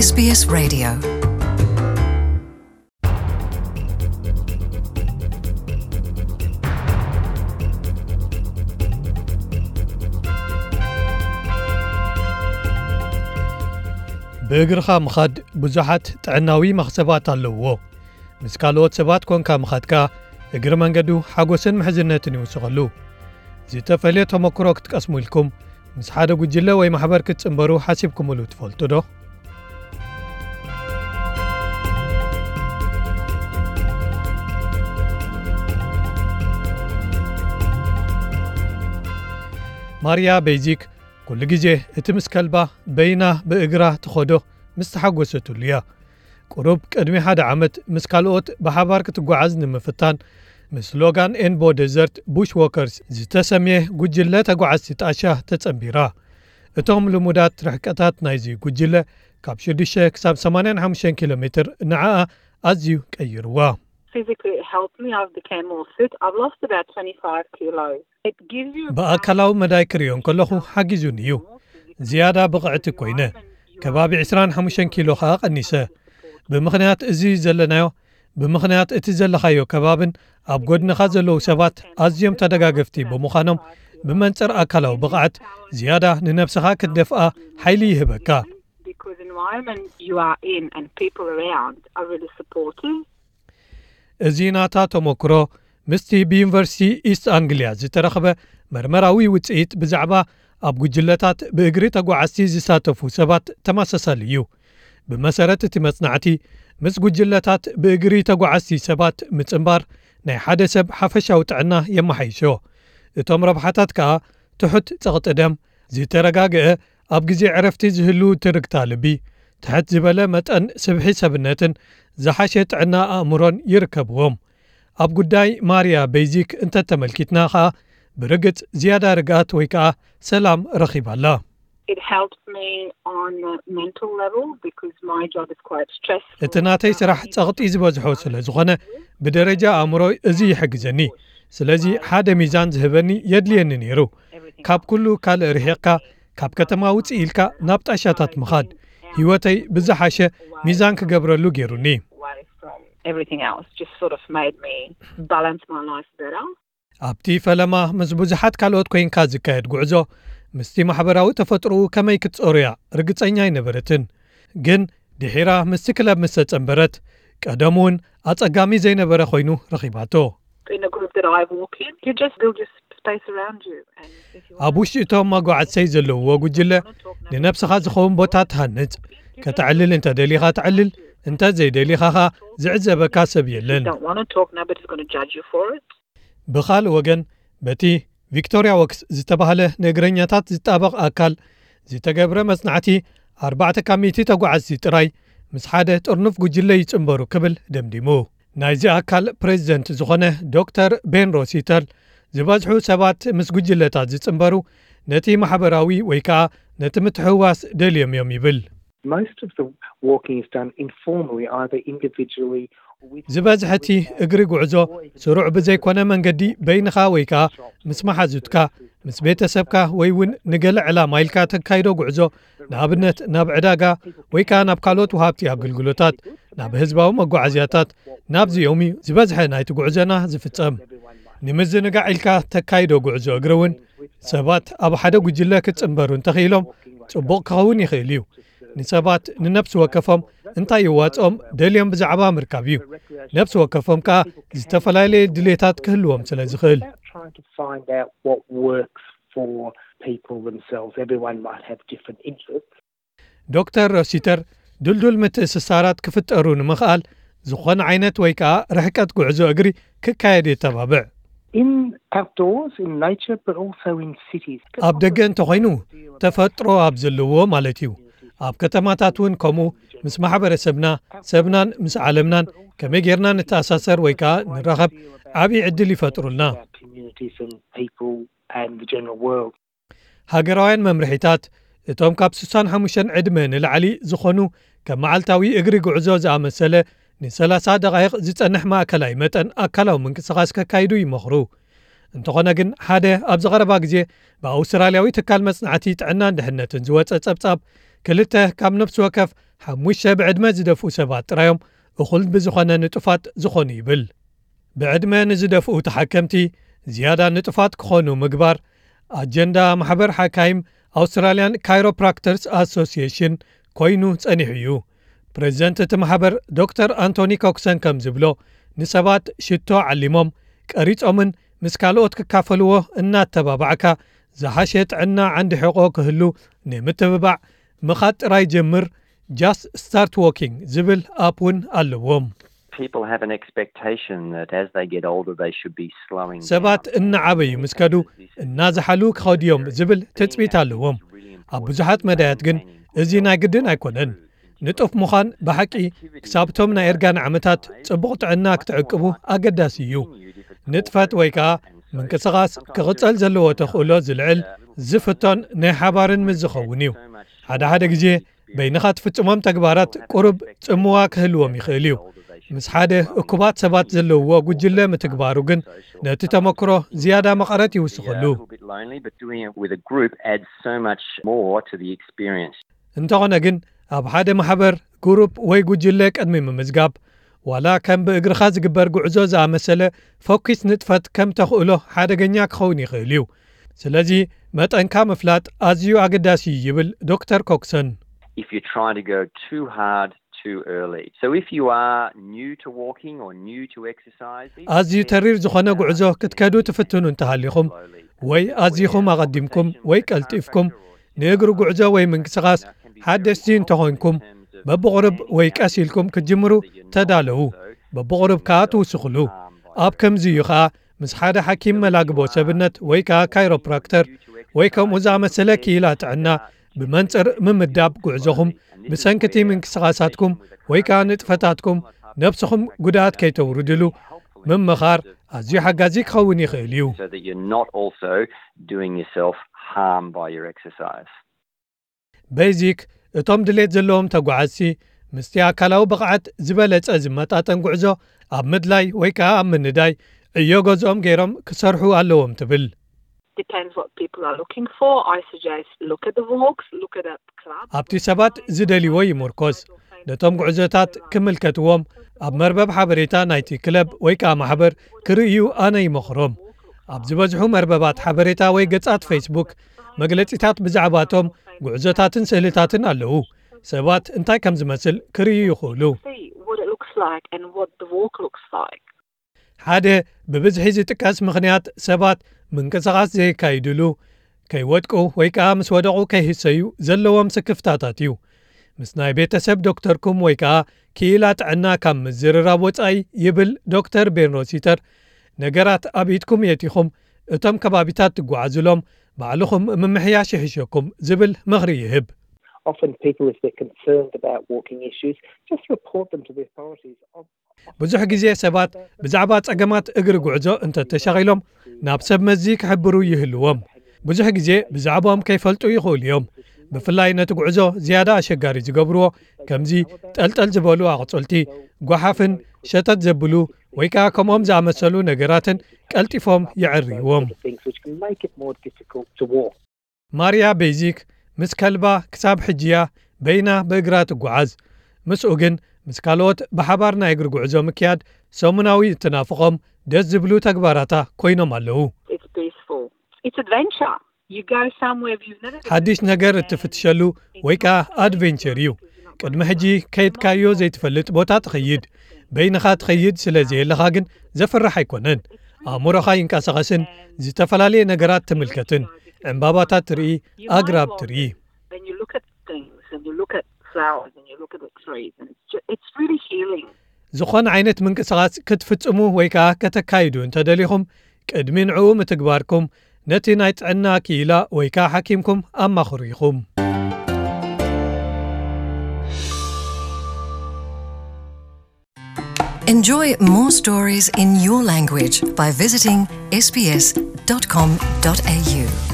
S B S Radio. ብእግርኻ ምኻድ ብዙሓት ጥዕናዊ መኽሰባት ኣለውዎ። ምስ ካልኦት ሰባት ኮንካ ምኻድካ እግሪ መንገዱ ሓጎስን ምሕዝነትን ይውስኸሉ። ዝተፈልየ ተመክሮ ክትቀስሙ ኢልኩም ምስ ሓደ ጉጅለ ወይ ማሕበር ክትጽንበሩ ሓሲብኩምሉ ትፈልጡ ዶ? ማርያ ቤዚክ ኩሉ ግዜ እቲ ምስ ከልባ በይና ብእግራ ትኸዶ ምስ ተሓጎሰትሉ እያ። ቁሩብ ቅድሚ ሓደ ዓመት ምስ ካልኦት ብሓባር ክትጓዓዝ ንምፍታን ምስ ሎጋን ኤንቦ ደዘርት ቡሽ ዎከርስ ዝተሰምየ ጉጅለ ተጓዓዝቲ ጣሻ ተጸንቢራ። እቶም ልሙዳት ርሕቀታት ናይዚ ጉጅለ ካብ ሽዱሽተ ክሳብ ሰማንያን ሓሙሽተን ኪሎ ሜትር ንዓኣ ኣዝዩ ቀይርዋ። Physically, it helped me. I've became more fit. I've lost about twenty-five kilos. It gives you ብኣካላዊ መዳይ ክርእዮ እንከለኹ ሓጊዙኒ እዩ። ዝያዳ ብቕዕቲ ኮይነ። ከባቢ ዕስራን ሓሙሽተን ኪሎ ኸኣ ቀኒሰ። ብምኽንያት እዚ ዘለናዮ፣ ብምኽንያት እቲ ዘለኻዮ ከባብን ኣብ ጎድንኻ ዘለዉ ሰባት ኣዝዮም ተደጋገፍቲ ብምዃኖም፣ ብመንጽር ኣካላዊ ብቕዓት ዝያዳ ንነብስኻ ክትደፍኣ ሓይሊ ይህበካ። Because environment you are in and people around are really supportive. እዚ ናታ ተመክሮ ምስቲ ብዩኒቨርሲቲ ኢስት ኣንግሊያ ዝተረኽበ መርመራዊ ውጽኢት ብዛዕባ ኣብ ጉጅለታት ብእግሪ ተጓዓዝቲ ዝሳተፉ ሰባት ተመሳሳሊ እዩ። ብመሰረት እቲ መጽናዕቲ፣ ምስ ጉጅለታት ብእግሪ ተጓዓዝቲ ሰባት ምጽንባር ናይ ሓደ ሰብ ሓፈሻዊ ጥዕና የመሓይሾ። እቶም ረብሓታት ከኣ ትሑት ጸቕጢ ደም፣ ዝተረጋግአ ኣብ ግዜ ዕረፍቲ ዝህሉ ትርግታ ልቢ፣ ትሕት ዝበለ መጠን ስብሒ ሰብነትን ዝሓሸ ጥዕና ኣእምሮን ይርከብዎም። ኣብ ጉዳይ ማርያ ቤዚክ እንተተመልኪትና ኸኣ፣ ብርግጽ ዝያዳ ርግኣት ወይ ከኣ ሰላም ረኺባ ኣላ። It helps me on a mental level because my job is quite stressful. እቲ ናተይ ስራሕ ጸቕጢ ዝበዝሖ ስለ ዝኾነ፣ ብደረጃ ኣእምሮ እዚ ይሕግዘኒ። ስለዚ ሓደ ሚዛን ዝህበኒ የድልየኒ ነይሩ። ካብ ኩሉ ካልእ ርሒቕካ፣ ካብ ከተማ ውጽእ ኢልካ ናብ ጣሻታት ምኻድ፣ ህይወተይ ብዝሓሸ ሚዛን ክገብረሉ ገይሩኒ። Away from everything else just sort of made me balance my life better. ኣብቲ ፈለማ ምስ ብዙሓት ካልኦት ኮይንካ ዝካየድ ጉዕዞ፣ ምስቲ ማሕበራዊ ተፈጥሮኡ ከመይ ክትጸሩያ ርግጸኛ ኣይነበረትን። ግን ድሒራ ምስቲ ክለብ ምስ ተጸንበረት፣ ቀደም እውን ኣጸጋሚ ዘይነበረ ኮይኑ ረኺባቶ። In a group that I walk in, you just build your space around you. And if you ኣብ ውሽጢ እቶም መጓዓዝተይ ዘለውዎ ጉጅለ፣ ንነብስኻ ዝኸውን ቦታ ትሃንጽ። ከተዕልል እንተ ደሊኻ ተዕልል፣ እንተ ዘይደሊኻ ኸኣ ዝዕዘበካ ሰብ የለን። Don't want to talk, nobody's going to judge you for it. ብኻልእ ወገን፣ በቲ ቪክቶርያ ዎክስ ዝተባህለ ንእግረኛታት ዝጣበቕ ኣካል ዝተገብረ መጽናዕቲ፣ ኣርባዕተ ካብ ሚእቲ ተጓዓዝቲ ጥራይ ምስ ሓደ ጥርኑፍ ጉጅለ ይጽንበሩ ክብል ደምዲሙ። ናይዚ ኣካል ፕሬዚደንት ዝኾነ ዶክተር ቤን ሮሲተር፣ ዝበዝሑ ሰባት ምስ ጉጅለታት ዝጽንበሩ ነቲ ማሕበራዊ ወይ ከኣ ነቲ ምትሕውዋስ ደልዮም እዮም ይብል። Most of the walking is done informally, either individually or with ዝበዝሐ እቲ እግሪ ጉዕዞ ስሩዕ ብዘይኮነ መንገዲ በይንኻ ወይ ከኣ ምስ መሓዙትካ፣ ምስ ቤተሰብካ ወይ እውን ንገለ ዕላማ ኢልካ ተካይዶ ጉዕዞ፣ ንኣብነት ናብ ዕዳጋ ወይ ከኣ ናብ ካልኦት ወሃብቲ ኣገልግሎታት፣ ናብ ህዝባዊ መጓዓዝያታት፣ ናብዚኦም እዩ ዝበዝሐ ናይቲ ጉዕዞና ዝፍጸም። ንምዝንጋዕ ኢልካ ተካይዶ ጉዕዞ እግሪ እውን ሰባት ኣብ ሓደ ጉጅለ ክጽንበሩ እንተኽኢሎም ጽቡቕ ክኸውን ይኽእል እዩ። ንሰባት ንነብሲ ወከፎም እንታይ ይዋጽኦም ደልዮም ብዛዕባ ምርካብ እዩ። ነብሲ ወከፎም ከኣ ዝተፈላለየ ድሌታት ክህልዎም ስለ ዝኽእል። About trying to find out what works for people themselves. Everyone might have different interests. ዶክተር ሮሲተር፣ ድልዱል ምትእስሳራት ክፍጠሩ ንምኽኣል፣ ዝኾነ ዓይነት ወይ ከኣ ርሕቀት ጉዕዞ እግሪ ክካየድ የተባብዕ። In outdoors, in nature, but also in cities. ኣብ ደገ እንተኾይኑ፣ ተፈጥሮ ኣብ ዘለዎ ማለት እዩ። ኣብ ከተማታት እውን ከምኡ፣ ምስ ማሕበረሰብና፣ ሰብናን ምስ ዓለምናን ከመይ ጌርና ንተኣሳሰር ወይ ከኣ ንራኸብ ዓብዪ ዕድል ይፈጥሩልና። Communities and people and the general world. ሃገራውያን መምርሒታት፣ እቶም ካብ ስሳን ሓሙሽተን ዕድመ ንላዕሊ ዝኾኑ፣ ከም መዓልታዊ እግሪ ጉዕዞ ዝኣመሰለ ንሰላሳ ደቓይቕ ዝጸንሕ ማእከላይ መጠን ኣካላዊ ምንቅስቓስ ከካይዱ ይመኽሩ። እንተኾነ ግን፣ ሓደ ኣብዚ ቀረባ ግዜ ብኣውስትራልያዊ ትካል መጽናዕቲ ጥዕናን ድሕነትን ዝወጸ ጸብጻብ፣ ክልተ ካብ ነፍሲ ወከፍ ሓሙሽተ ብዕድመ ዝደፍኡ ሰባት ጥራዮም እኹል ብዝኾነ ንጡፋት ዝኾኑ ይብል። ብዕድመ ንዝደፍኡ ተሓከምቲ ዝያዳ ንጡፋት ክኾኑ ምግባር ኣጀንዳ ማሕበር ሓካይም ኣውስትራልያን ካይሮፕራክተርስ ኣሶሲዬሽን ኮይኑ ጸኒሑ እዩ። ፕሬዚደንት እቲ ማሕበር ዶክተር ኣንቶኒ ኮክሰን ከም ዝብሎ፣ ንሰባት ሽቶ ዓሊሞም ቀሪጾምን ምስ ካልኦት ክካፈልዎ እናተባባዕካ ዝሓሸ ጥዕና ዓንዲ ሕቖ ክህሉ ንምትብባዕ ምኻድ ጥራይ ጀምር፣ just start walking ዝብል ኣፕ እውን ኣለዎም። People have an expectation that as they get older, they should be slowing ሰባት down. እናዓበዩ ምስ ከዱ እናዝሓሉ ክኸዱ እዮም ዝብል ትጽቢት ኣለዎም። ኣብ ብዙሓት መዳያት ግን እዚ ናይ ግድን ኣይኮነን። ንጡፍ ምዃን ብሓቂ ክሳብቶም ናይ እርጋን ዓመታት ጽቡቕ ጥዕና ክትዕቅቡ ኣገዳሲ እዩ። ንጥፈት ወይ ከኣ ምንቅስቓስ ክቕጸል ዘለዎ ተኽእሎ ዝልዕል ዝፍቶን ናይ ሓባርን ምስ ዝኸውን እዩ። ሓደ ሓደ ግዜ በይንኻ ትፍጽሞም ተግባራት ቁሩብ ጽምዋ ክህልዎም ይኽእል እዩ። ምስ ሓደ እኩባት ሰባት ዘለውዎ ጉጅለ ምትግባሩ ግን ነቲ ተመክሮ ዝያዳ መቐረት ይውስኸሉ። A little bit lonely, but doing it with a group adds so much more to the experience. እንተኾነ ግን ኣብ ሓደ ማሕበር፣ ግሩፕ ወይ ጉጅለ ቅድሚ ምምዝጋብ ዋላ ከም ብእግርኻ ዝግበር ጉዕዞ ዝኣመሰለ ፈኲስ ንጥፈት ከም ተኽእሎ ሓደገኛ ክኸውን ይኽእል እዩ። ስለዚ መጠንካ ምፍላጥ ኣዝዩ ኣገዳሲ እዩ ይብል ዶክተር ኮክሰን። If you try to go too hard too early. So if you are new to walking or new to exercising, ኣዝዩ ተሪር ዝኾነ ጉዕዞ ክትከዱ ትፍትኑ እንተሃሊኹም ወይ ኣዚኹም ኣቐዲምኩም ወይ ቀልጢፍኩም ንእግሪ ጉዕዞ ወይ ምንቅስቓስ ሓደስቲ እንተኾንኩም በብቑርብ ወይ ቀስ ኢልኩም ክትጅምሩ ተዳለዉ። በብቑርብ ከኣ ትውስኽሉ። ኣብ ከምዚ እዩ ከኣ ምስ ሓደ ሓኪም መላግቦ ሰብነት ወይ ከኣ ካይሮፕራክተር ወይ ከምኡ ዝኣመሰለ ክኢላ ጥዕና ብመንጽር ምምዳብ ጉዕዞኹም ብሰንክቲ ምንቅስቓሳትኩም ወይ ከኣ ንጥፈታትኩም ነብስኹም ጉድኣት ከይተውርድሉ ምምኻር ኣዝዩ ሓጋዚ ክኸውን ይኽእል እዩ። So that you're not also doing yourself harm by your exercise. ቤዚክ እቶም ድሌት ዘለዎም ተጓዓዝቲ ምስቲ ኣካላዊ ብቕዓት ዝበለጸ ዝመጣጠን ጉዕዞ ኣብ ምድላይ ወይ ከኣ ኣብ ምንዳይ ዕዮ ገዝኦም ገይሮም ክሰርሑ ኣለዎም ትብል። Depends what people are looking for. I suggest look at the walks, look at a club. ኣብቲ ሰባት ዝደልይዎ ይምርኮስ። ነቶም ጉዕዞታት ክምልከትዎም ኣብ መርበብ ሓበሬታ ናይቲ ክለብ ወይ ከኣ ማሕበር ክርእዩ ኣነ ይመኽሮም። ኣብ ዝበዝሑ መርበባት ሓበሬታ ወይ ገጻት ፌስቡክ መግለጺታት ብዛዕባቶም ጉዕዞታትን ስእልታትን ኣለዉ። ሰባት እንታይ ከም ዝመስል ክርእዩ ይኽእሉ። See what it looks like and what the walk looks like. ሓደ ብብዝሒ ዝጥቀስ ምኽንያት ሰባት ምንቅስቓስ ዘየካይድሉ ከይወድቁ ወይ ከኣ ምስ ወደቑ ከይህሰዩ ዘለዎም ስክፍታታት እዩ። ምስ ናይ ቤተሰብ ዶክተርኩም ወይ ከኣ ክኢላ ጥዕና ካብ ምዝርራብ ወጻኢ ይብል ዶክተር ቤን ሮሲተር፣ ነገራት ኣብ ኢድኩም የቲኹም እቶም ከባቢታት ትጓዓዙሎም ባዕልኹም ምምሕያሽ ይሕሸኩም ዝብል ምኽሪ ይህብ። Often people, if they're concerned about walking issues, just report them to the authorities. ብዙሕ ግዜ ሰባት ብዛዕባ ጸገማት እግሪ ጉዕዞ እንተተሻቒሎም ናብ ሰብ መዚ ክሕብሩ ይህልዎም። ብዙሕ ግዜ ብዛዕባኦም ከይፈልጡ ይኽእሉ እዮም። ብፍላይ ነቲ ጉዕዞ ዝያዳ ኣሸጋሪ ዝገብርዎ ከምዚ ጠልጠል ዝበሉ ኣቕጽልቲ፣ ጓሓፍን ሸተት ዘብሉ ወይ ከኣ ከምኦም ዝኣመሰሉ ነገራትን ቀልጢፎም የዕርይዎም። Things which can make it more difficult to walk. ማርያ ቤዚክ ምስ ከልባ ክሳብ ሕጂ እያ በይና ብእግራ ትጓዓዝ። ምስኡ ግን ምስ ካልኦት ብሓባር ናይ እግሪ ጉዕዞ ምክያድ ሰሙናዊ እትናፍቖም ደስ ዝብሉ ተግባራታ ኮይኖም ኣለዉ። It's peaceful. It's adventure. You go somewhere you've never been. ሓድሽ ነገር እትፍትሸሉ ወይ ከኣ ኣድቬንቸር እዩ። ቅድሚ ሕጂ ከይድካዮ ዘይትፈልጥ ቦታ ትኸይድ። በይንኻ ትኸይድ ስለ ዘየለኻ ግን ዘፍርሕ ኣይኮነን። ኣእምሮኻ ይንቀሳቐስን ዝተፈላለየ ነገራት ትምልከትን። ዕምባባታት ትርኢ፣ ኣግራብ ትርኢ። Then you look at things and you look at flowers and you look at the trees and it's, ju- it's really healing. ዝኾነ ዓይነት ምንቅስቓስ ክትፍጽሙ ወይ ከኣ ከተካይዱ እንተደሊኹም ቅድሚ ንዕኡ ምትግባርኩም ነቲ ናይ ጥዕና ክኢላ ወይ ከኣ ሓኪምኩም ኣማኽሩ ኢኹም። Enjoy more stories in your language by visiting S B S dot com dot A U.